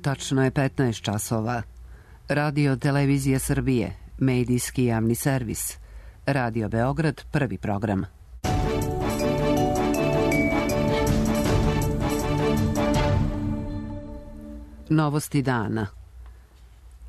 Tačno je 15 časova. Radio Televizija Srbije, medijski javni servis. Radio Beograd, prvi program. Novosti dana.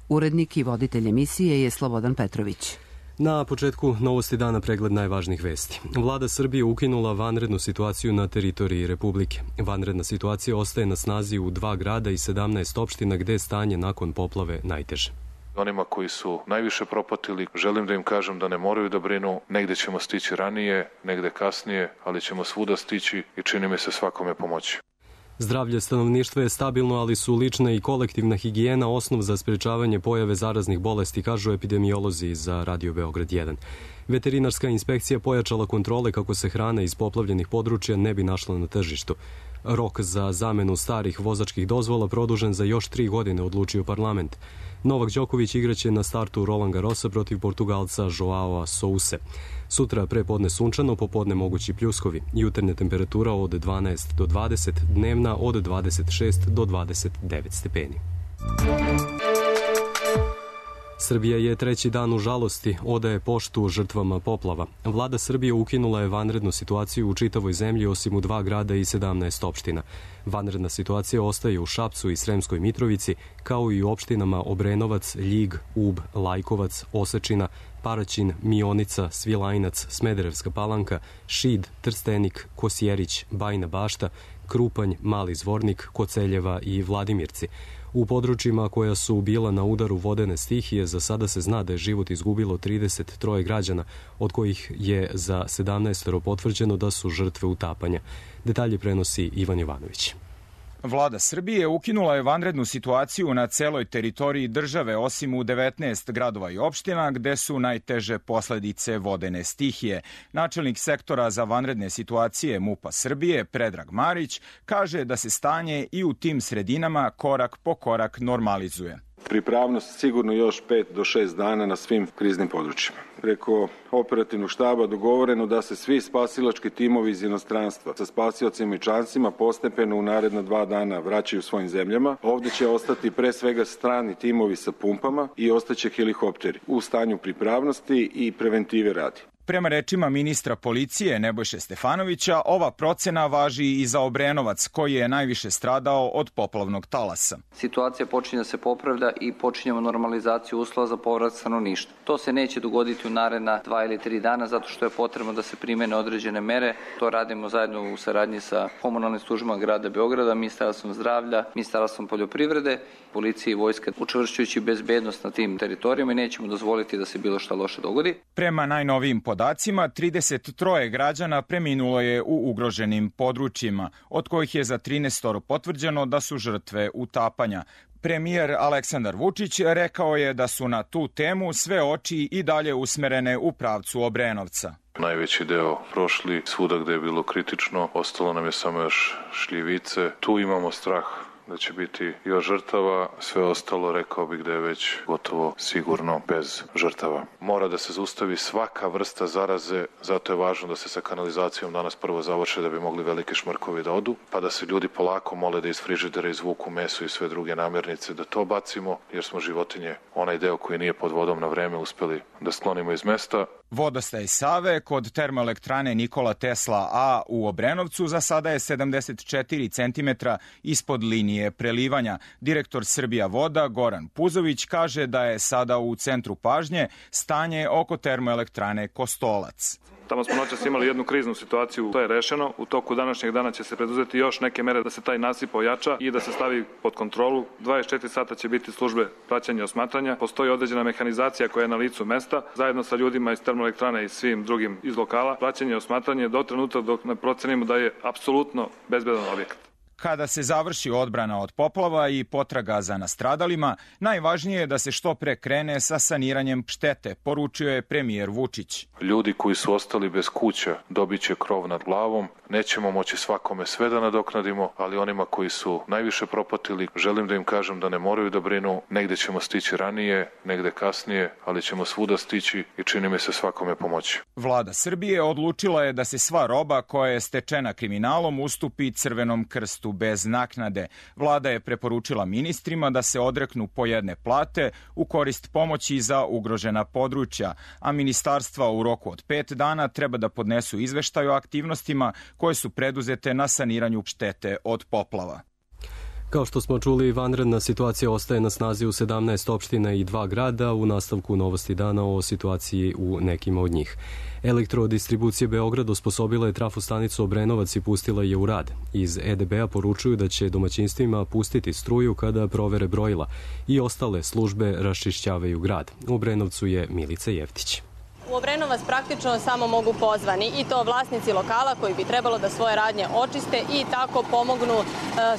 Urednik i voditelj emisije je Slobodan Petrović. Na početku novosti dana pregled najvažnijih vesti. Vlada Srbije ukinula vanrednu situaciju na teritoriji Republike. Vanredna situacija ostaje na snazi u 2 grada i 17 opština gde je stanje nakon poplave najteže. Onima koji su najviše propatili, želim da im kažem da ne moraju da brinu, negde ćemo stići ranije, negde kasnije, ali ćemo svuda stići i čini mi se svakome pomoći. Zdravlje stanovništva je stabilno, ali su lična i kolektivna higijena osnov za sprečavanje pojave zaraznih bolesti, kažu epidemiolozi za Radio Beograd 1. Veterinarska inspekcija pojačala kontrole kako se hrana iz poplavljenih područja ne bi našla na tržištu. Rok za zamenu starih vozačkih dozvola produžen za još 3 godine, odlučio parlament. Novak Đoković igraće na startu Roland Garrosa protiv Portugalca Joao Souse. Sutra prepodne sunčano, popodne mogući pljuskovi. Jutarnja temperatura od 12 do 20, dnevna od 26 do 29 stepeni. Srbija je 3. dan u žalosti, odaje poštu žrtvama poplava. Vlada Srbije ukinula je vanrednu situaciju u čitavoj zemlji osim u 2 grada i 17 opština. Vanredna situacija ostaje u Šapcu i Sremskoj Mitrovici, kao i u opštinama Obrenovac, Ljig, Ub, Lajkovac, Osečina, Paraćin, Mionica, Svilajnac, Smederevska Palanka, Šid, Trstenik, Kosjerić, Bajina Bašta, Krupanj, Mali Zvornik, Koceljeva i Vladimirci. U područjima koja su bila na udaru vodene stihije za sada se zna da je život izgubilo 33 građana, od kojih je za 17 potvrđeno da su žrtve utapanja. Detalje prenosi Ivan Jovanović. Vlada Srbije ukinula je vanrednu situaciju na celoj teritoriji države, osim u 19 gradova i opština gde su najteže posledice vodene stihije. Načelnik sektora za vanredne situacije MUP-a Srbije, Predrag Marić, kaže da se stanje i u tim sredinama korak po korak normalizuje. Pripravnost sigurno još 5 do 6 dana na svim kriznim područjima. Preko operativnog štaba dogovoreno da se svi spasilački timovi iz inostranstva sa spasiocima i čancima postepeno u naredna 2 dana vraćaju svojim zemljama. Ovde će ostati pre svega strani timovi sa pumpama i ostaće helikopteri u stanju pripravnosti i preventive radi. Prema rečima ministra policije Nebojše Stefanovića, ova procena važi i za Obrenovac, koji je najviše stradao od poplavnog talasa. Situacija počinje da se popravlja i počinjemo normalizaciju uslova za povrat stanovništva. To se neće dogoditi u naredna 2 ili 3 dana, zato što je potrebno da se primene određene mere. To radimo zajedno u saradnji sa komunalnim službama grada Beograda, Ministarstvom zdravlja, Ministarstvom poljoprivrede, policije i vojska, učvršćujući bezbednost na tim teritorijama i nećemo dozvoliti da se bilo šta loše dogodi. Prema najnovijim podacima, 33 građana preminulo je u ugroženim područjima, od kojih je za 13 potvrđeno da su žrtve utapanja. Premijer Aleksandar Vučić rekao je da su na tu temu sve oči i dalje usmerene u pravcu Obrenovca. Najveći deo prošli, svuda gde je bilo kritično, ostalo nam je samo još šljivice. Tu imamo strah da će biti još žrtava, sve ostalo rekao bih da je već gotovo sigurno bez žrtava. Mora da se zaustavi svaka vrsta zaraze, zato je važno da se sa kanalizacijom danas prvo završe da bi mogli veliki šmrkovi da odu, pa da se ljudi polako mole da iz frižidera izvuku meso i sve druge namirnice, da to bacimo, jer smo životinje, onaj deo koji nije pod vodom na vreme, uspeli da sklonimo iz mesta. Vodostaj Save kod termoelektrane Nikola Tesla A u Obrenovcu za sada je 74 cm ispod linije prelivanja. Direktor Srbija voda Goran Puzović kaže da je sada u centru pažnje stanje oko termoelektrane Kostolac. Tamo smo noćas imali jednu kriznu situaciju, to je rešeno. U toku današnjeg dana će se preduzeti još neke mere da se taj nasip ojača i da se stavi pod kontrolu. 24 sata će biti službe praćenja i osmatranja. Postoji određena mehanizacija koja je na licu mesta, zajedno sa ljudima iz termoelektrane i svim drugim iz lokala. Praćenje i osmatranje do trenutka dok ne procenimo da je apsolutno bezbedan objekat. Kada se završi odbrana od poplava i potraga za nastradalima, najvažnije je da se što pre krene sa saniranjem štete, poručio je premijer Vučić. Ljudi koji su ostali bez kuća dobit će krov nad glavom. Nećemo moći svakome sve da nadoknadimo, ali onima koji su najviše propatili, želim da im kažem da ne moraju da brinu. Negde ćemo stići ranije, negde kasnije, ali ćemo svuda stići i čini mi se svakome pomoći. Vlada Srbije odlučila je da se sva roba koja je stečena kriminalom ustupi Crvenom krstu isplatu bez naknade. Vlada je preporučila ministrima da se odreknu po jedne plate u korist pomoći za ugrožena područja, a ministarstva u roku od 5 dana treba da podnesu izveštaj o aktivnostima koje su preduzete na saniranju štete od poplava. Kao što smo čuli, vanredna situacija ostaje na snazi u 17 opština i 2 grada. U nastavku novosti dana o situaciji u nekima od njih. Elektrodistribucija Beograd osposobila je trafostanicu Obrenovac i pustila je u rad. Iz EDB-a poručuju da će domaćinstvima pustiti struju kada provere brojila i ostale službe raščišćavaju grad. U Obrenovcu je Milica Jeftić. U Obrenovac praktično samo mogu pozvani i to vlasnici lokala koji bi trebalo da svoje radnje očiste i tako pomognu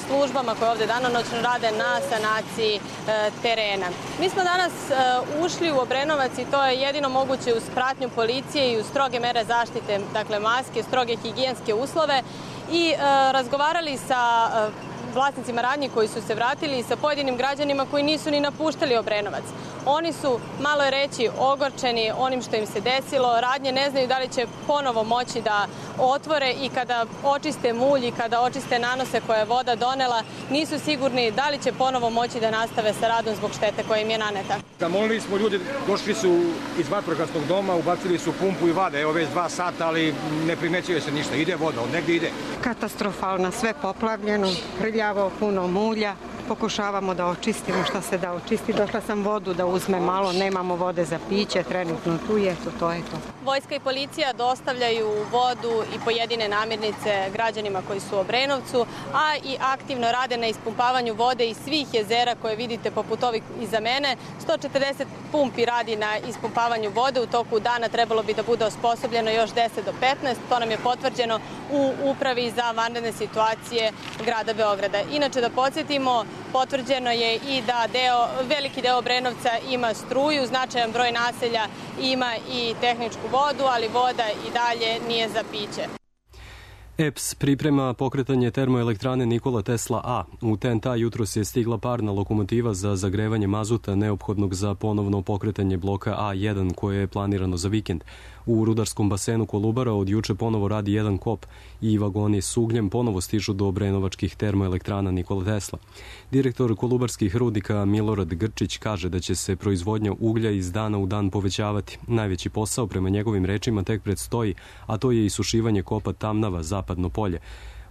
službama koje ovde danonoćno rade na sanaciji terena. Mi smo danas ušli u Obrenovac i to je jedino moguće uz pratnju policije i uz stroge mere zaštite, dakle maske, stroge higijenske uslove i razgovarali sa vlasnicima radnji koji su se vratili i sa pojedinim građanima koji nisu ni napuštali Obrenovac. Oni su, malo je reći, ogorčeni onim što im se desilo. Radnje ne znaju da li će ponovo moći da otvore i kada očiste mulj i kada očiste nanose koje je voda donela, nisu sigurni da li će ponovo moći da nastave sa radom zbog štete koja im je naneta. Zamolili smo ljudi, došli su iz vatrogasnog doma, ubacili su pumpu i vade, evo već 2 sata, ali ne primećuje se ništa. Ide voda, od negdje ide. Katastrofalno, sve poplavljeno, prljavo, puno mulja. Pokušavamo da očistimo šta se da očisti. Došla sam vodu da uzme malo, nemamo vode za piće, trenutno tu je, to je to. Vojska i policija dostavljaju vodu i pojedine namirnice građanima koji su u Obrenovcu, a i aktivno rade na ispumpavanju vode iz svih jezera koje vidite poput ovih iza mene. 140 pumpi radi na ispumpavanju vode, u toku dana trebalo bi da bude osposobljeno još 10 do 15, to nam je potvrđeno u Upravi za vanredne situacije grada Beograda. Inače da podsjetimo, potvrđeno je i da veliki deo Obrenovca ima struju, značajan broj naselja ima i tehničku vodu, ali voda i dalje nije za piće. EPS priprema pokretanje termoelektrane Nikola Tesla A. U TNT jutros je stigla parna lokomotiva za zagrevanje mazuta neophodnog za ponovno pokretanje bloka A1 koje je planirano za vikend. U rudarskom basenu Kolubara od juče ponovo radi jedan kop i vagoni s ugljem ponovo stižu do obrenovačkih termoelektrana Nikola Tesla. Direktor kolubarskih rudnika Milorad Grčić kaže da će se proizvodnja uglja iz dana u dan povećavati. Najveći posao prema njegovim rečima tek predstoji, a to je isušivanje kopa Tamnava, Zapadno polje.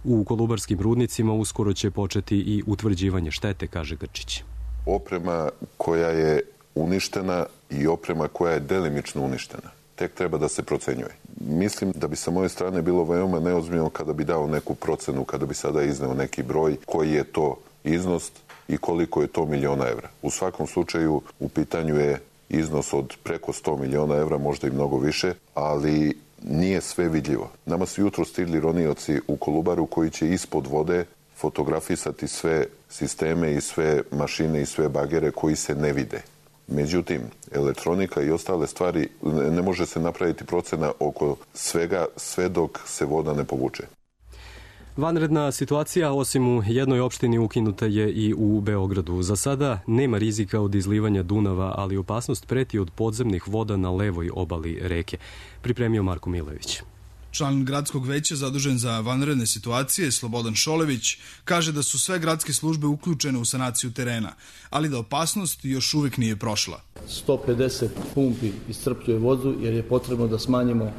U kolubarskim rudnicima uskoro će početi i utvrđivanje štete, kaže Grčić. Oprema koja je uništena i oprema koja je delimično uništena tek treba da se procenjuje. Mislim da bi sa moje strane bilo veoma neozbiljno kada bi dao neku procenu, kada bi sada izneo neki broj, koji je to iznos i koliko je to miliona evra. U svakom slučaju u pitanju je iznos od preko 100 miliona evra, možda i mnogo više, ali nije sve vidljivo. Nama su jutro stigli ronioci u Kolubaru koji će ispod vode fotografisati sve sisteme i sve mašine i sve bagere koji se ne vide. Međutim, elektronika i ostale stvari, ne može se napraviti procena oko svega sve dok se voda ne povuče. Vanredna situacija, osim u jednoj opštini, ukinuta je i u Beogradu. Za sada nema rizika od izlivanja Dunava, ali opasnost preti od podzemnih voda na levoj obali reke. Pripremio Marko Milević. Član gradskog veća zadužen za vanredne situacije, Slobodan Šolević, kaže da su sve gradske službe uključene u sanaciju terena, ali da opasnost još uvijek nije prošla. 150 pumpi iscrpljuje vodu jer je potrebno da smanjimo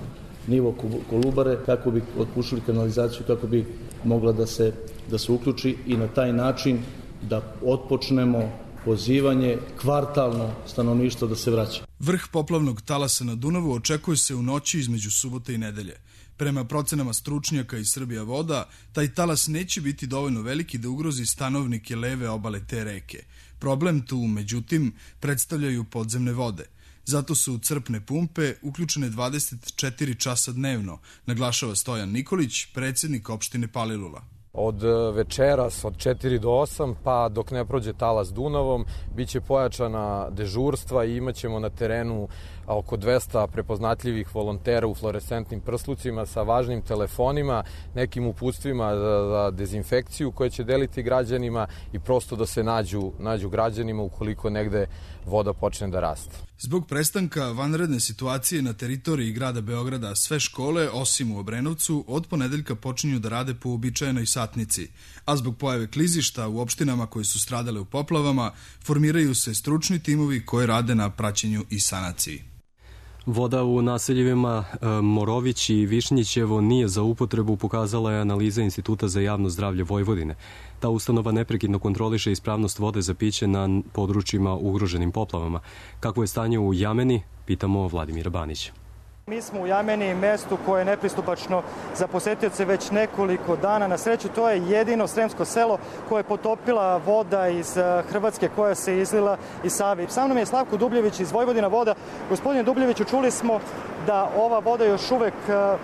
nivo Kolubare kako bi otpušili kanalizaciju, kako bi mogla da se uključi i na taj način da otpočnemo pozivanje kvartalno stanovništva da se vraća. Vrh poplavnog talasa na Dunavu očekuje se u noći između subote i nedelje. Prema procenama stručnjaka iz Srbija voda, taj talas neće biti dovoljno veliki da ugrozi stanovnike leve obale te reke. Problem tu, međutim, predstavljaju podzemne vode. Zato su crpne pumpe uključene 24 časa dnevno, naglašava Stojan Nikolić, predsjednik opštine Palilula. Od večeras od 4 do 8 pa dok ne prođe talas Dunavom biće pojačana dežurstva i imaćemo na terenu oko 200 prepoznatljivih volontera u fluorescentnim prslucima sa važnim telefonima, nekim uputstvima za dezinfekciju koje će deliti građanima i prosto da se nađu građanima ukoliko negde voda počne da raste. Zbog prestanka vanredne situacije na teritoriji grada Beograda sve škole, osim u Obrenovcu, od ponedeljka počinju da rade po uobičajenoj satnici, a zbog pojave klizišta u opštinama koje su stradale u poplavama, formiraju se stručni timovi koji rade na praćenju i sanaciji. Voda u naseljivima Morović i Višnjićevo nije za upotrebu, pokazala je analiza Instituta za javno zdravlje Vojvodine. Ta ustanova neprekidno kontroliše ispravnost vode za piće na područjima ugroženim poplavama. Kakvo je stanje u Jameni, pitamo Vladimira Banića. Mi smo u Jameni, mestu koje je nepristupačno za posetioce već nekoliko dana. Na sreću, to je jedino sremsko selo koje je potopila voda iz Hrvatske koja se izlila iz Save. Sa mnom je Slavko Dubljević iz Vojvodina voda. Gospodine Dubljeviću, čuli smo da ova voda još uvek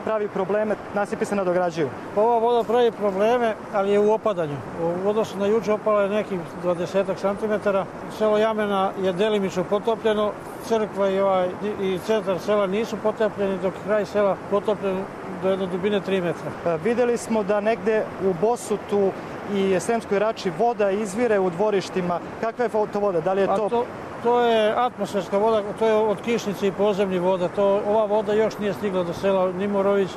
pravi probleme, nasipi se nadograđuju. Ova voda pravi probleme, ali je u opadanju. U odnosu na juče opala je nekih 20 cm. Selo Jamena je delimično potopljeno. Crkva i centar sela nisu potopljeni, dok kraj sela potopljen do jedne dubine 3 metra. Videli smo da negde u Bosutu i Sremskoj Rači voda izvire u dvorištima. Kakva je to voda? Da li je to... To je atmosferska voda, to je od kišnice i podzemnih voda. Ova voda još nije stigla do sela ni Morović,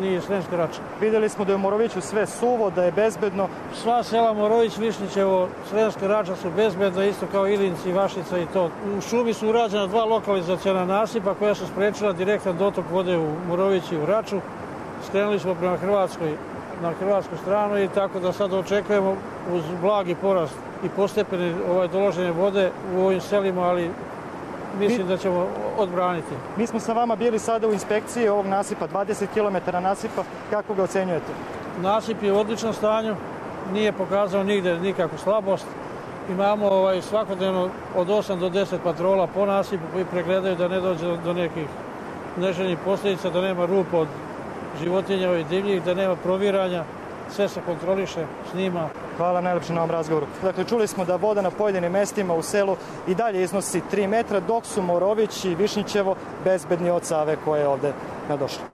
ni Sremska Rača. Videli smo da je u Moroviću sve suvo, da je bezbedno. Sva sela Morović, Višnjićevo, Sremska Rača su bezbedna, isto kao Ilinci, Vašica i to. U šumi su urađena 2 lokalizaciona nasipa koja su sprečila direktan dotok vode u Morović i u Raču. Skrenuli smo prema na hrvatsku stranu i tako da sad očekujemo uz blagi porast i postepene doloženje vode u ovim selima, ali mislim da ćemo odbraniti. Mi smo sa vama bili sada u inspekciji ovog nasipa, 20 km nasipa. Kako ga ocenjujete? Nasip je u odličnom stanju, nije pokazao nigde nikakvu slabost. Imamo svakodnevno od 8 do 10 patrola po nasipu koji pregledaju da ne dođe do nekih neželjenih posljedica, da nema rupa od životinja i divljih, da nema proviranja, sve se kontroliše, snima. Hvala najlepše na ovom razgovoru. Dakle, čuli smo da voda na pojedinim mestima u selu i dalje iznosi 3 metra, dok su Morović i Višnjićevo bezbedni od Save koje je ovde nadošla.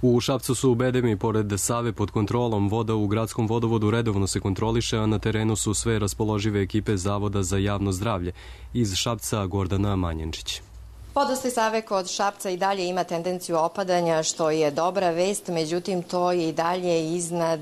U Šapcu su u Bedemi, pored Save, pod kontrolom. Voda u gradskom vodovodu redovno se kontroliše, a na terenu su sve raspoložive ekipe Zavoda za javno zdravlje. Iz Šapca Gordana Manjenčić. Vodostaj Save kod Šapca i dalje ima tendenciju opadanja, što je dobra vest, međutim to je i dalje iznad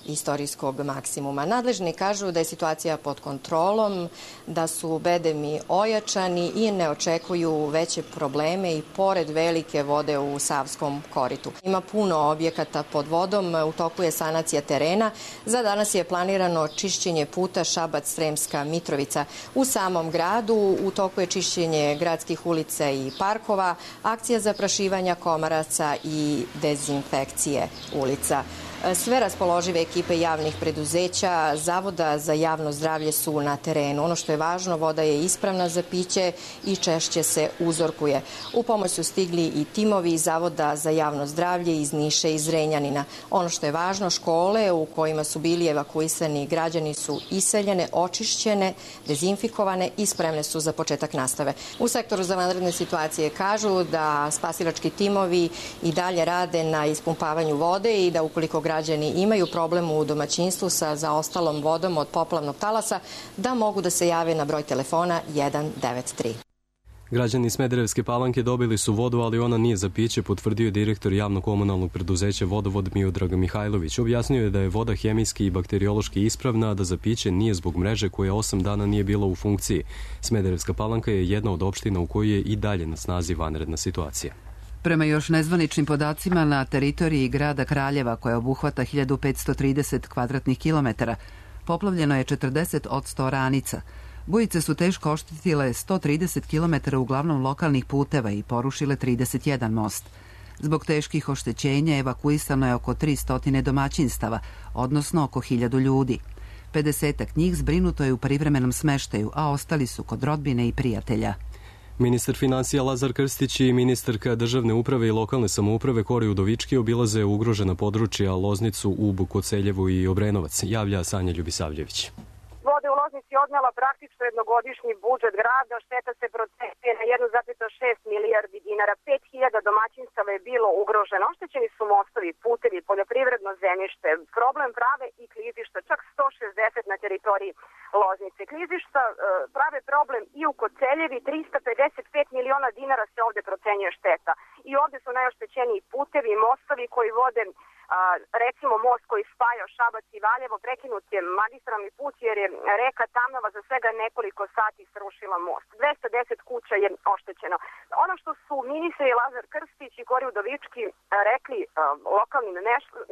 istorijskog maksimuma. Nadležni kažu da je situacija pod kontrolom, da su bedemi ojačani i ne očekuju veće probleme i pored velike vode u Savskom koritu. Ima puno objekata pod vodom, u toku je sanacija terena. Za danas je planirano čišćenje puta Šabac-Sremska Mitrovica. U samom gradu u toku je čišćenje gradskih ulica i parkova, akcija zaprašivanja komaraca i dezinfekcije ulica. Sve raspoložive ekipe javnih preduzeća, Zavoda za javno zdravlje su na terenu. Ono što je važno, voda je ispravna za piće i češće se uzorkuje. U pomoć su stigli i timovi Zavoda za javno zdravlje iz Niša i Zrenjanina. Ono što je važno, škole u kojima su bili evakuisani građani su iseljene, očišćene, dezinfikovane i spremne su za početak nastave. U sektoru za vanredne situacije kažu da spasilački timovi i dalje rade na ispumpavanju vode i da ukoliko građani imaju problem u domaćinstvu sa zaostalom vodom od poplavnog talasa, da mogu da se jave na broj telefona 193. Građani Smederevske Palanke dobili su vodu, ali ona nije za piće, potvrdio je direktor javno-komunalnog preduzeća Vodovod Miodrag Mihajlović. Objasnio je da je voda hemijski i bakteriološki ispravna, a da za piće nije zbog mreže koja 8 dana nije bila u funkciji. Smederevska Palanka je jedna od opština u kojoj je i dalje na snazi vanredna situacija. Prema još nezvaničnim podacima, na teritoriji grada Kraljeva, koja obuhvata 1530 kvadratnih kilometara, poplavljeno je 40 od 100 oranica. Bujice su teško oštetile 130 km uglavnom lokalnih puteva i porušile 31 most. Zbog teških oštećenja evakuisano je oko 300 domaćinstava, odnosno oko 1000 ljudi. 50 njih zbrinuto je u privremenom smeštaju, a ostali su kod rodbine i prijatelja. Ministar finansija Lazar Krstić i ministarka državne uprave i lokalne samouprave Kori Udovički obilaze ugrožena područja Loznicu, Ub, Koceljevu i Obrenovac, javlja Sanja Ljubisavljević. Vode u Loznici odnela praktično jednogodišnji budžet grada, šteta se procenjuje na 1,6 milijardi dinara. 5000 domaćinstava je bilo ugroženo. Oštećeni su mostovi, putevi, poljoprivredno zemljište. Problem prave i klizišta, čak 160 na teritoriji Loznice. Klizišta prave problem i u Koceljevi, 355 miliona dinara se ovde procenjuje šteta. I ovde su najoštećeniji putevi i mostovi koji vode, recimo most koji spaja Šabac i Valjevo, prekinut je magistralni put jer je reka Tamnava za svega nekoliko sati srušila most. 210 kuća je oštećeno. Ono što su ministri Lazar Krstić i Kori Udovički rekli lokalnim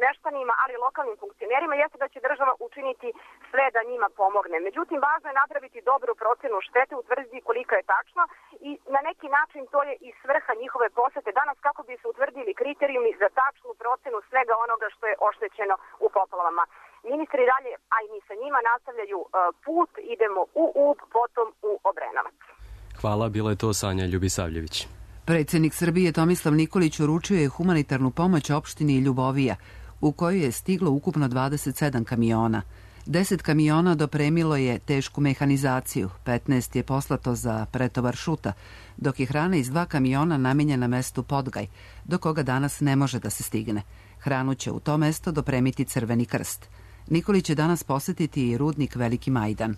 meštanima, ali lokalnim funkcionerima, jeste da će država učiniti sve da njima pomogne. Međutim, važno je napraviti dobru procenu štete, utvrditi kolika je tačno i na neki način to je i svrha njihove posete danas kako bi se utvrdili kriterijumi za tačnu procenu svega onoga što je oštećeno u poplavama. Ministri dalje, a i mi sa njima nastavljaju put, idemo u Ub, potom u Obrenovac. Hvala, bila je to Sanja Ljubisavljević. Predsjednik Srbije Tomislav Nikolić uručio je humanitarnu pomoć opštini Ljubovija, u kojoj je stiglo ukupno 27 kamiona. 10 kamiona dopremilo je tešku mehanizaciju, 15 je poslato za pretovar šuta, dok je hrana iz 2 kamiona namenjena mestu Podgaj, do koga danas ne može da se stigne. Hranu će u to mesto dopremiti Crveni krst. Nikolić će danas posetiti i rudnik Veliki Majdan.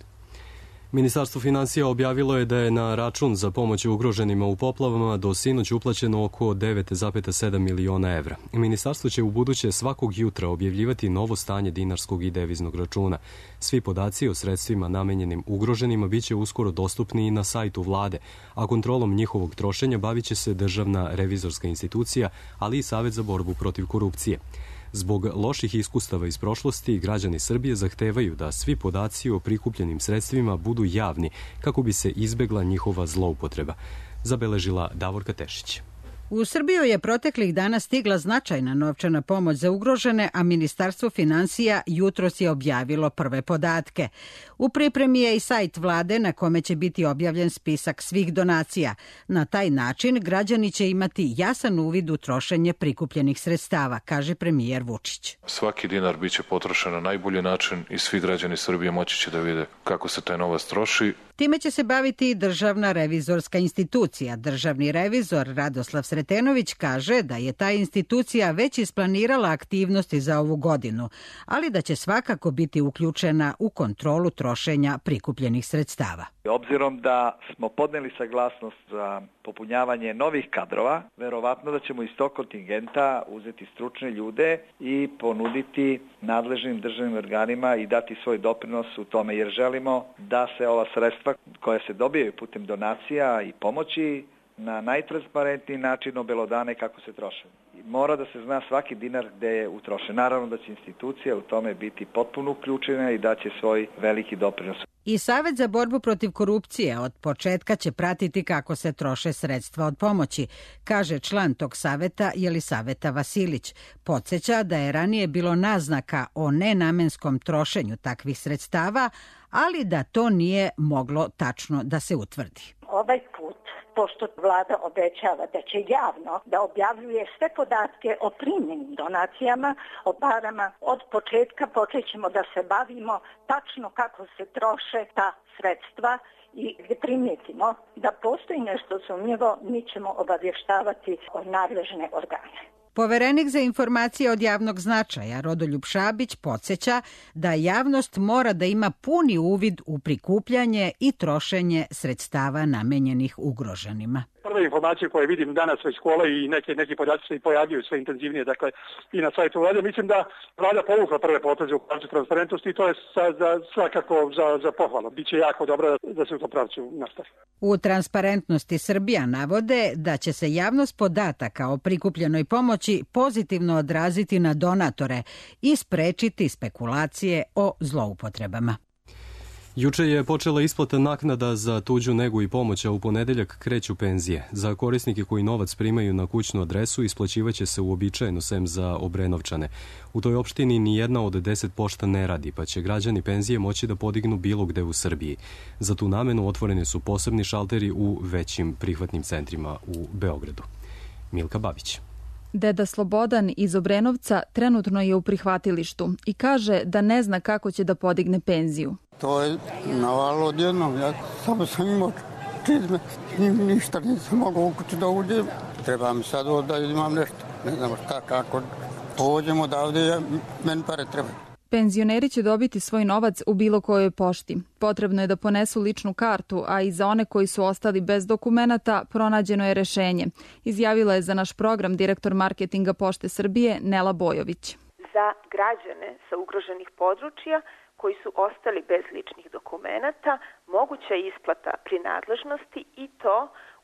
Ministarstvo finansija objavilo je da je na račun za pomoć ugroženima u poplavama do sinoć uplaćeno oko 9,7 miliona evra. Ministarstvo će u buduće svakog jutra objavljivati novo stanje dinarskog i deviznog računa. Svi podaci o sredstvima namenjenim ugroženima biće uskoro dostupni i na sajtu vlade, a kontrolom njihovog trošenja bavit će se Državna revizorska institucija, ali i Savet za borbu protiv korupcije. Zbog loših iskustava iz prošlosti, građani Srbije zahtevaju da svi podaci o prikupljenim sredstvima budu javni kako bi se izbegla njihova zloupotreba, zabeležila Davorka Tešić. U Srbiju je proteklih dana stigla značajna novčana pomoć za ugrožene, a Ministarstvo finansija jutros je objavilo prve podatke. U pripremi je i sajt vlade na kome će biti objavljen spisak svih donacija. Na taj način građani će imati jasan uvid u trošenje prikupljenih sredstava, kaže premijer Vučić. Svaki dinar biće potrošen na najbolji način i svi građani Srbije moći će da vide kako se taj novac troši. Time će se baviti i Državna revizorska institucija. Državni revizor Radoslav Sretenović kaže da je ta institucija već isplanirala aktivnosti za ovu godinu, ali da će svakako biti uključena u kontrolu trošenja prikupljenih sredstava. Obzirom da smo podneli saglasnost za popunjavanje novih kadrova, verovatno da ćemo iz tog kontingenta uzeti stručne ljude i ponuditi nadležnim državnim organima i dati svoj doprinos u tome, jer želimo da se ova sredstva koja se dobijaju putem donacija i pomoći na najtransparentniji način obelodane kako se troše. Mora da se zna svaki dinar gde je utrošen. Naravno da će institucija u tome biti potpuno uključena i da će svoj veliki doprinos. I Savet za borbu protiv korupcije od početka će pratiti kako se troše sredstva od pomoći, kaže član tog saveta Jelisaveta Vasilić. Podsjeća da je ranije bilo naznaka o nenamenskom trošenju takvih sredstava, ali da to nije moglo tačno da se utvrdi. Ovaj put, pošto vlada obećava da će javno da objavljuje sve podatke o primljenim donacijama, o parama, od početka počećemo da se bavimo tačno kako se troše ta sredstva i gdje primijetimo da postoji nešto sumnjivo, mi ćemo obavještavati nadležne organe. Poverenik za informacije od javnog značaja Rodoljub Šabić podsjeća da javnost mora da ima puni uvid u prikupljanje i trošenje sredstava namenjenih ugroženima. Prve informacije koje vidim danas već škole i neki podaci se pojavljuju sve intenzivnije, dakle i na sajtu vlade. Mislim da vlada povukla prve poteze u pravcu transparentnosti i to je svakako za pohvalu. Biće jako dobro da se u tom pravcu nastavi. U Transparentnosti Srbija navode da će se javnost podataka o prikupljenoj pomoći pozitivno odraziti na donatore i sprečiti spekulacije o zloupotrebama. Juče je počela isplata naknada za tuđu negu i pomoć, a u ponedeljak kreću penzije. Za korisnike koji novac primaju na kućnu adresu isplaćivaće se uobičajeno sem za Obrenovčane. U toj opštini ni jedna od 10 pošta ne radi, pa će građani penzije moći da podignu bilo gde u Srbiji. Za tu namenu otvoreni su posebni šalteri u većim prihvatnim centrima u Beogradu. Milka Babić. Deda Slobodan iz Obrenovca trenutno je u prihvatilištu i kaže da ne zna kako će da podigne penziju. To je navalo odjednom, ja samo sam imao čizme, ništa nisam mogao u kuću da uđem. Treba mi sad da imam nešto, ne znam šta, kako pođemo odavde, meni pare treba. Penzioneri će dobiti svoj novac u bilo kojoj pošti. Potrebno je da ponesu ličnu kartu, a i za one koji su ostali bez dokumenata pronađeno je rešenje. Izjavila je za naš program direktor marketinga Pošte Srbije Nela Bojović. Za građane sa ugroženih područja koji su ostali bez ličnih dokumenata moguća je isplata prinadležnosti i to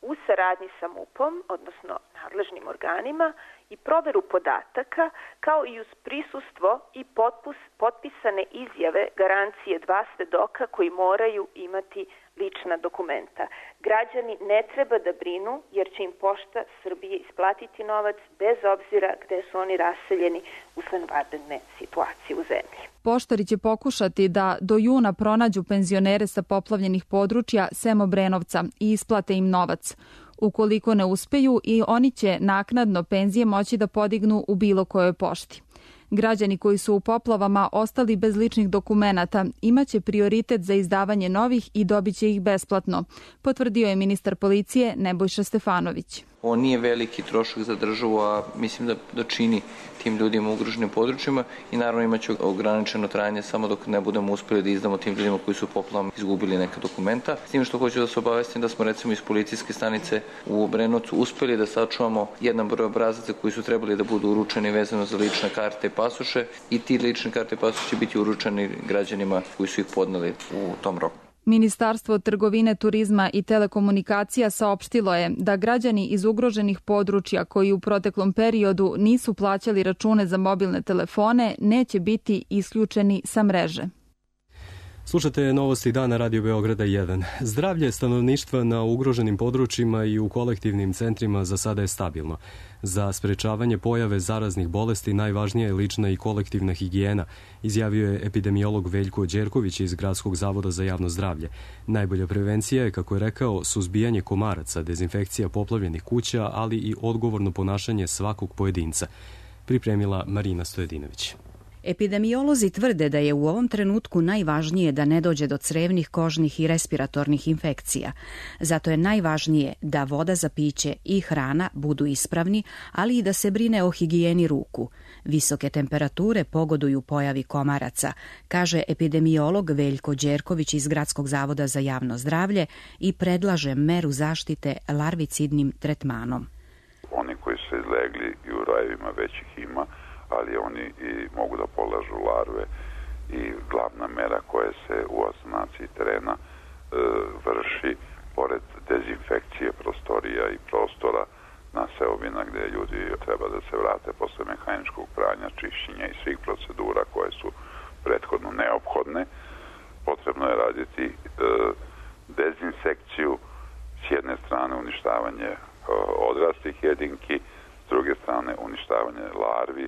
u saradnji sa MUP-om, odnosno nadležnim organima, i proveru podataka, kao i uz prisustvo i potpisane izjave garancije 2 svedoka koji moraju imati lična dokumenta. Građani ne treba da brinu jer će im Pošta Srbije isplatiti novac bez obzira gde su oni raseljeni usled vanredne situacije u zemlji. Poštari će pokušati da do juna pronađu penzionere sa poplavljenih područja sem Obrenovca i isplate im novac. Ukoliko ne uspeju, i oni će naknadno penzije moći da podignu u bilo kojoj pošti. Građani koji su u poplavama ostali bez ličnih dokumenata imaće prioritet za izdavanje novih i dobit će ih besplatno, potvrdio je ministar policije Nebojša Stefanović. Ovo nije veliki trošak za državu, a mislim da čini tim ljudima u ugroženim područjima i naravno imaće ograničeno trajanje samo dok ne budemo uspeli da izdamo tim ljudima koji su poplavama izgubili neka dokumenta. S tim što hoću da se obavestim da smo recimo iz policijske stanice u Obrenovcu uspeli da sačuvamo jedan broj obrazaca koji su trebali da budu uručeni vezano za lične karte i pasoše i ti lične karte i pasoše će biti uručeni građanima koji su ih podneli u tom roku. Ministarstvo trgovine, turizma i telekomunikacija saopštilo je da građani iz ugroženih područja koji u proteklom periodu nisu plaćali račune za mobilne telefone neće biti isključeni sa mreže. Slušate novosti dana Radio Beograda 1. Zdravlje stanovništva na ugroženim područjima i u kolektivnim centrima za sada je stabilno. Za sprečavanje pojave zaraznih bolesti najvažnija je lična i kolektivna higijena, izjavio je epidemiolog Veljko Đerković iz Gradskog zavoda za javno zdravlje. Najbolja prevencija je, kako je rekao, suzbijanje komaraca, dezinfekcija poplavljenih kuća, ali i odgovorno ponašanje svakog pojedinca. Pripremila Marina Stojedinović. Epidemiolozi tvrde da je u ovom trenutku najvažnije da ne dođe do crevnih, kožnih i respiratornih infekcija. Zato je najvažnije da voda za piće i hrana budu ispravni, ali i da se brine o higijeni ruku. Visoke temperature pogoduju pojavi komaraca, kaže epidemiolog Veljko Đerković iz Gradskog zavoda za javno zdravlje i predlaže meru zaštite larvicidnim tretmanom. Oni koji su izlegli i u rajevima već ih ima, ali oni i mogu da polažu larve i glavna mera koja se u asanaciji terena vrši, pored dezinfekcije prostorija i prostora na seobina gde ljudi treba da se vrate posle mehaničkog pranja, čišćenja i svih procedura koje su prethodno neophodne. Potrebno je raditi dezinsekciju, s jedne strane uništavanje odraslih jedinki, s druge strane uništavanje larvi,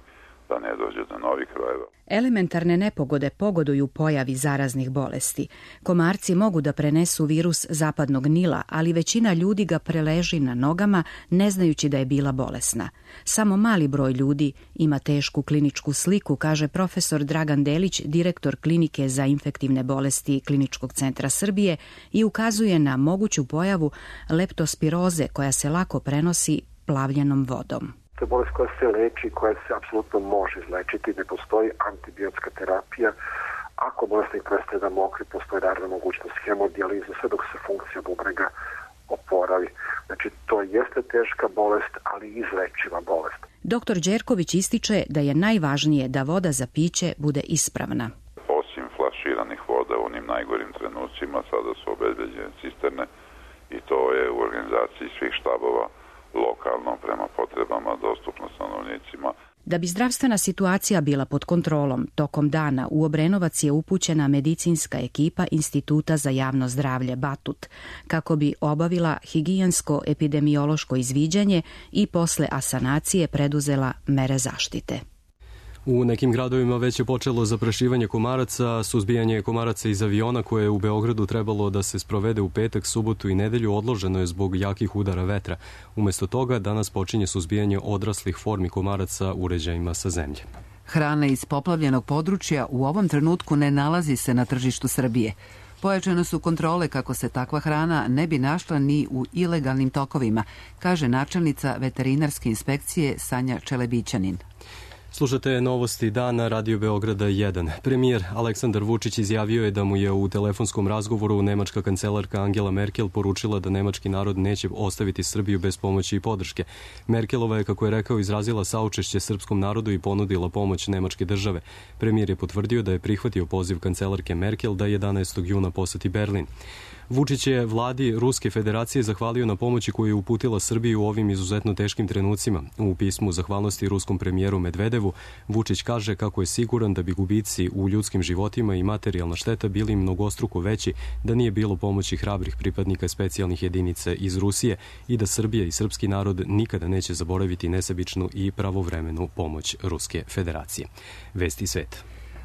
da ne dođe do novih rojeva. Elementarne nepogode pogoduju pojavi zaraznih bolesti. Komarci mogu da prenesu virus zapadnog Nila, ali većina ljudi ga preleži na nogama ne znajući da je bila bolesna. Samo mali broj ljudi ima tešku kliničku sliku, kaže profesor Dragan Delić, direktor klinike za infektivne bolesti Kliničkog centra Srbije, i ukazuje na moguću pojavu leptospiroze koja se lako prenosi plavljenom vodom. To je bolest koja se leči, koja se apsolutno može izlečiti, ne postoji antibiotska terapija. Ako bolesnik prestaje da mokri, postoji naravno mogućnost hemodijalize, sve dok se funkcija bubrega oporavi. Znači, to jeste teška bolest, ali izlečiva bolest. Doktor Đerković ističe da je najvažnije da voda za piće bude ispravna. Osim flaširanih voda u onim najgorim trenucima, sada su obezbeđene cisterne i to je u organizaciji svih štabova lokalno prema potrebama dostupno stanovnicima. Da bi zdravstvena situacija bila pod kontrolom, tokom dana u Obrenovac je upućena medicinska ekipa Instituta za javno zdravlje Batut, kako bi obavila higijensko-epidemiološko izviđanje i posle asanacije preduzela mere zaštite. U nekim gradovima već je počelo zaprašivanje komaraca, suzbijanje komaraca iz aviona koje je u Beogradu trebalo da se sprovede u petak, subotu i nedelju odloženo je zbog jakih udara vetra. Umesto toga, danas počinje suzbijanje odraslih formi komaraca uređajima sa zemlje. Hrana iz poplavljenog područja u ovom trenutku ne nalazi se na tržištu Srbije. Pojačane su kontrole kako se takva hrana ne bi našla ni u ilegalnim tokovima, kaže načelnica veterinarske inspekcije Sanja Čelebićanin. Slušate novosti dana Radio Beograda 1. Premijer Aleksandar Vučić izjavio je da mu je u telefonskom razgovoru nemačka kancelarka Angela Merkel poručila da nemački narod neće ostaviti Srbiju bez pomoći i podrške. Merkelova je, kako je rekao, izrazila saučešće srpskom narodu i ponudila pomoć nemačke države. Premijer je potvrdio da je prihvatio poziv kancelarke Merkel da 11. juna poseti Berlin. Vučić je vladi Ruske federacije zahvalio na pomoći koju je uputila Srbiji u ovim izuzetno teškim trenucima. U pismu zahvalnosti ruskom premijeru Medvedevu, Vučić kaže kako je siguran da bi gubici u ljudskim životima i materijalna šteta bili mnogostruko veći da nije bilo pomoći hrabrih pripadnika specijalnih jedinica iz Rusije i da Srbija i srpski narod nikada neće zaboraviti nesebičnu i pravovremenu pomoć Ruske federacije. Vesti sveta.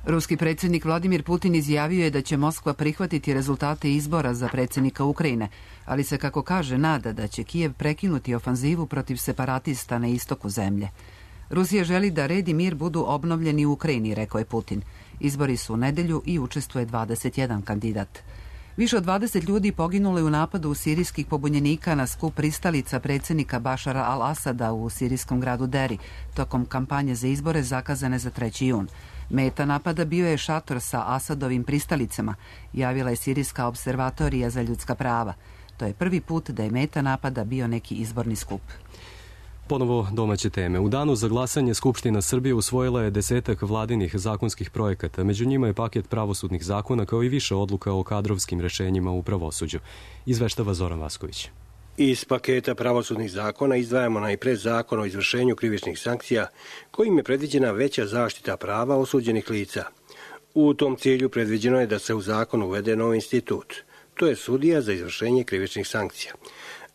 Ruski predsjednik Vladimir Putin izjavio je da će Moskva prihvatiti rezultate izbora za predsjednika Ukrajine, ali se, kako kaže, nada da će Kijev prekinuti ofanzivu protiv separatista na istoku zemlje. Rusija želi da red i mir budu obnovljeni u Ukrajini, rekao je Putin. Izbori su u nedelju i učestvuje 21 kandidat. Više od 20 ljudi poginulo je u napadu sirijskih pobunjenika na skup pristalica predsjednika Bašara al-Asada u sirijskom gradu Deri, tokom kampanje za izbore zakazane za 3. jun. Meta napada bio je šator sa Asadovim pristalicama, javila je Sirijska observatorija za ljudska prava. To je prvi put da je meta napada bio neki izborni skup. Ponovo domaće teme. U danu za glasanje Skupština Srbije usvojila je 10 vladinih zakonskih projekata. Među njima je paket pravosudnih zakona kao i više odluka o kadrovskim rešenjima u pravosuđu. Izveštava Zoran Vasković. Iz paketa pravosudnih zakona izdvajamo najpre Zakon o izvršenju krivičnih sankcija, kojim je predviđena veća zaštita prava osuđenih lica. U tom cilju predviđeno je da se u zakon uvede novi institut. To je sudija za izvršenje krivičnih sankcija.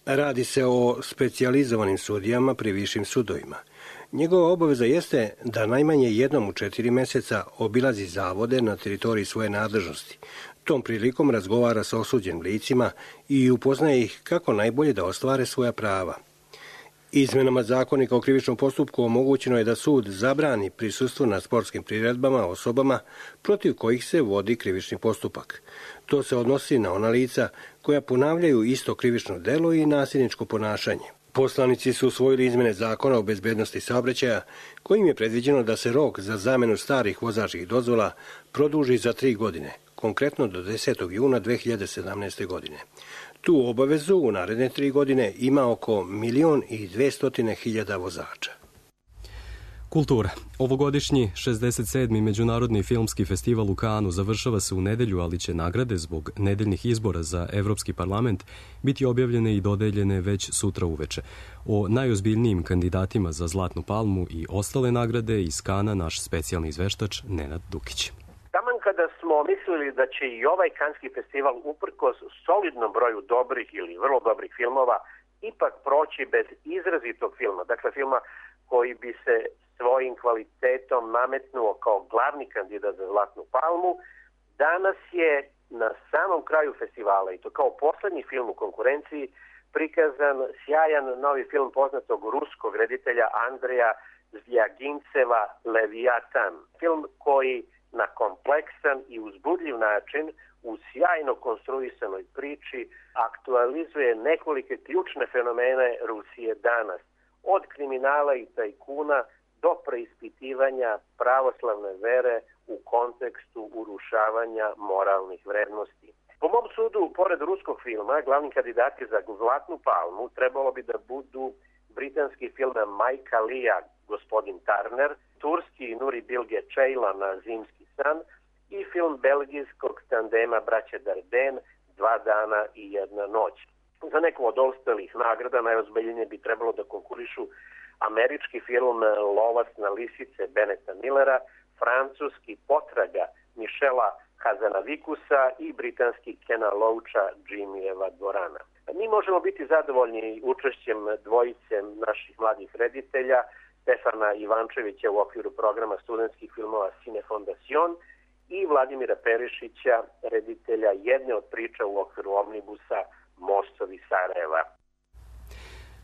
Radi se o specijalizovanim sudijama pri višim sudovima. Njegova obaveza jeste da najmanje jednom u 4 meseca obilazi zavode na teritoriji svoje nadležnosti. Tom prilikom razgovara sa osuđenim licima i upoznaje ih kako najbolje da ostvare svoja prava. Izmenama Zakonika o krivičnom postupku omogućeno je da sud zabrani prisustvo na sportskim priredbama osobama protiv kojih se vodi krivični postupak. To se odnosi na ona lica koja ponavljaju isto krivično delo i nasilničko ponašanje. Poslanici su usvojili izmene Zakona o bezbednosti saobraćaja, kojim je predviđeno da se rok za zamenu starih vozačkih dozvola produži za 3 godine, konkretno do 10. juna 2017. godine. Tu obavezu u naredne 3 godine ima oko 1.200.000 vozača. Kultura. Ovogodišnji 67. Međunarodni filmski festival u Kanu završava se u nedelju, ali će nagrade zbog nedeljnih izbora za Evropski parlament biti objavljene i dodeljene već sutra uveče. O najozbiljnijim kandidatima za Zlatnu palmu i ostale nagrade iz Kana naš specijalni izveštač Nenad Dukić. Taman kada smo mislili da će i ovaj Kanski festival uprkos solidnom broju dobrih ili vrlo dobrih filmova ipak proći bez izrazitog filma, dakle filma koji bi se svojim kvalitetom nametnuo kao glavni kandidat za Zlatnu palmu, danas je na samom kraju festivala, i to kao poslednji film u konkurenciji, prikazan sjajan novi film poznatog ruskog reditelja Andreja Zvjagintseva Leviatan. Film koji na kompleksan i uzbudljiv način u sjajno konstruisanoj priči aktualizuje nekolike ključne fenomene Rusije danas. Od kriminala i tajkuna do preispitivanja pravoslavne vere u kontekstu urušavanja moralnih vrednosti. Po mom sudu, pored ruskog filma, glavni kandidati za Zlatnu palmu trebalo bi da budu britanski film Majka Lija, Gospodin Turner, turski Nuri Bilge Ceylan'a Zimski san i film belgijskog tandema Braće Dardenne 2 dana i 1 noć. Za neku od ostalih nagrada najozbiljnije bi trebalo da konkurišu američki film Lovac na lisice Beneta Millera, francuski Potraga Michela Hazanavikusa i britanski Kena Loacha Jimmyjeva dvorana. Mi možemo biti zadovoljni učešćem dvojice naših mladih reditelja, Stefana Ivančevića u okviru programa studentskih filmova Cine Fondacion i Vladimira Perišića, reditelja jedne od priča u okviru omnibusa Mostovi Sarajeva.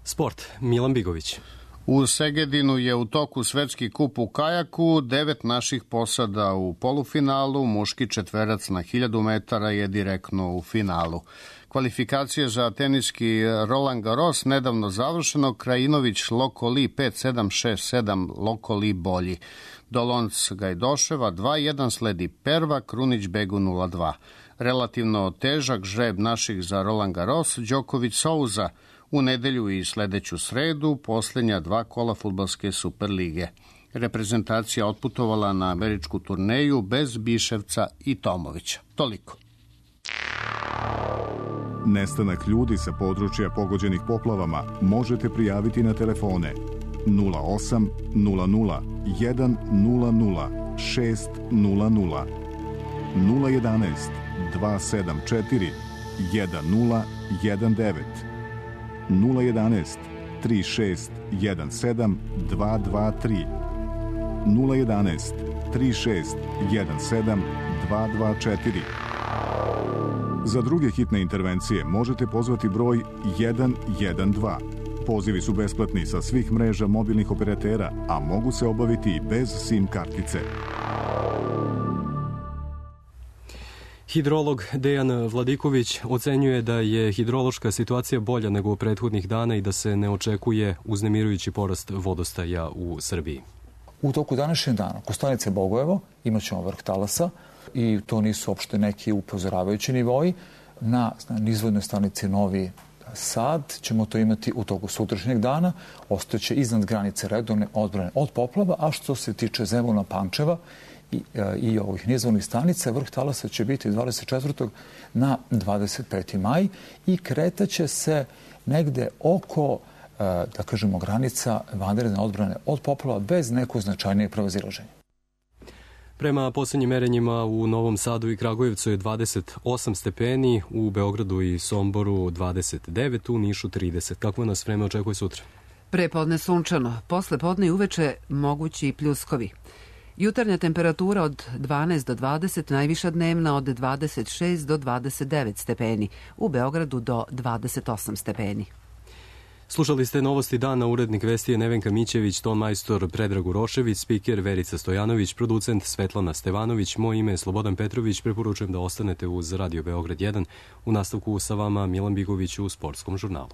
Sport. Milan Bigović. U Segedinu je u toku svetski kup u kajaku, 9 naših posada u polufinalu, muški četverac na 1000 metara je direktno u finalu. Kvalifikacije za teniski Roland Garros nedavno završeno, Krajinović Lokoli 5-7, 6-7, Lokoli bolji. Dolonc Gajdoševa 2-1, sledi Perva, Krunić Begu 0-2. Relativno težak žreb naših za Roland Garros, Đoković Souza. U nedelju i sledeću sredu posljednja 2 kola fudbalske Superlige. Reprezentacija otputovala na američku turneju bez Biševca i Tomovića. Toliko. Nestanak ljudi sa područja pogođenih poplavama možete prijaviti na telefone 08 00 100 600 011 274 1019 011 3617 223 011 3617 224. Za druge hitne intervencije možete pozvati broj 112. Pozivi su besplatni sa svih mreža mobilnih operatera, a mogu se obaviti i bez SIM kartice. Hidrolog Dejan Vladiković ocenjuje da je hidrološka situacija bolja nego u prethodnih dana i da se ne očekuje uznemirujući porast vodostaja u Srbiji. U toku današnjeg dana kod stanice Bogojevo imat ćemo vrh talasa i to nisu uopšte neki upozoravajući nivoji. Na nizvodnoj stanici Novi Sad ćemo to imati u toku sutrašnjeg dana, ostaće iznad granice redovne odbrane od poplava, a što se tiče Zemuna, Pančeva i ovih nizvodnih stanica, vrh talasa će biti 24. na 25. maj i kretaće se negde oko, da kažemo, granica vanredne odbrane od poplava bez nekog značajnijeg prevazilaženja. Prema posljednjim merenjima u Novom Sadu i Kragujevcu je 28 stepeni, u Beogradu i Somboru 29, u Nišu 30. Kako nas vreme očekuje sutra? Prepodne sunčano, posle podne i uveče mogući i pljuskovi. Jutarnja temperatura od 12 do 20, najviša dnevna od 26 do 29 stepeni, u Beogradu do 28 stepeni. Slušali ste Novosti dana, urednik vesti je Nevenka Mićević, ton majstor Predrag Urošević, spiker Verica Stojanović, producent Svetlana Stevanović, moje ime je Slobodan Petrović, preporučujem da ostanete uz Radio Beograd 1, u nastavku sa vama Milan Bigović u Sportskom žurnalu.